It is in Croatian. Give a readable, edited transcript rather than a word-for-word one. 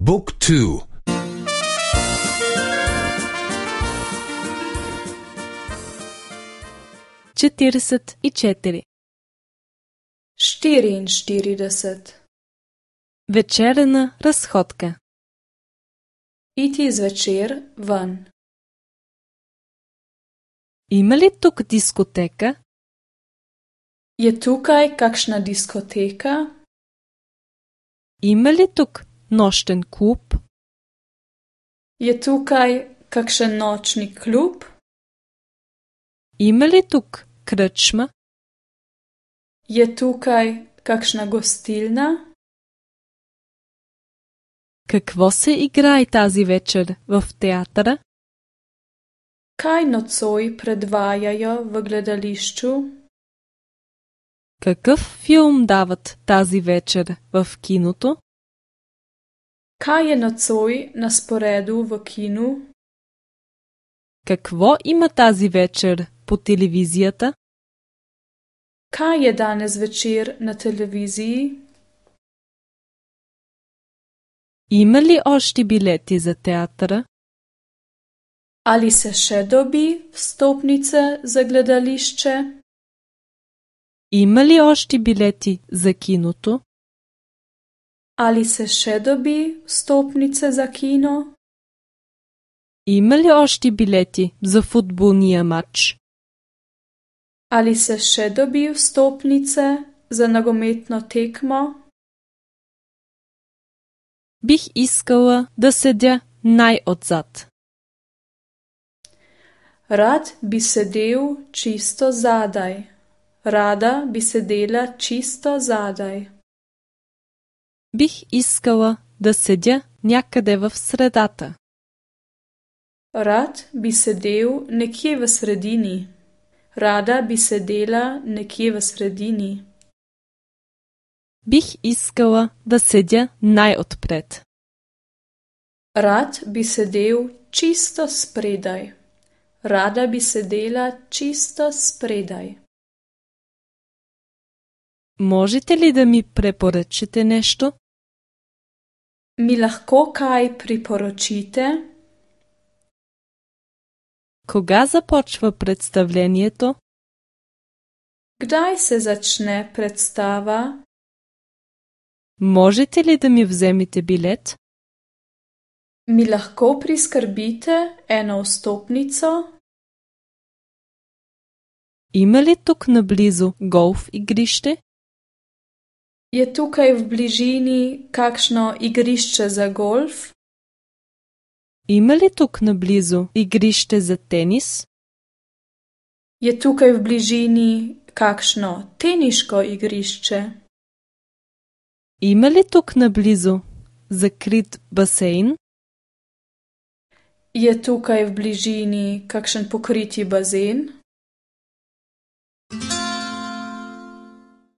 Book 2. 44. 44. Вечерна разходка. Iti zvečer ven. Има ли тук дискотека? Je tukaj kakšna diskoteka? Има ли тук нощен клуб? Je tukaj kakšen nočni klub? Има ли тук кръчма? Je tukaj kakšna gostilna? Какво се играе тази вечер в театъра? Kaj nocoj predvajajo v gledališču? Какъв филм дават тази вечер в киното? Kaj je nocoj na sporedu v kinu? Какво има тази вечер по телевизията? Kaj je danes večer na televiziji? Има ли още билети за театъра? Ali se še dobi vstopnice za gledališče? Има ли още билети за киното? Ali se še dobi vstopnice za kino? Има ли още билети за футболния матч? Ali se še dobi vstopnice za nogometno tekmo? Бих искала да седя най-отзад. Rad bi sedel čisto zadaj. Rada bi sedela čisto zadaj. Бих искала да седя някъде в средата. Rad bi sedel nekje v sredini. Rada bi sedela nekje v sredini. Бих искала да седя най-отпред. Rad bi sedel čisto spredaj. Rada bi sedela čisto spredaj. Можете ли да ми препоръчате нещо? Mi lahko kaj priporočite? Кога започва представлението? Kdaj se začne predstava? Можете ли да ми вземете билет? Mi lahko priskrbite eno vstopnico? Има ли тук наблизо голф игрище? Je tukaj v bližini kakšno igrišče za golf? Има ли тук наблизо игрище за тенис? Je tukaj v bližini kakšno teniško igrišče? Има ли тук наблизо закрит басейн? Je tukaj v bližini kakšen pokriti bazen?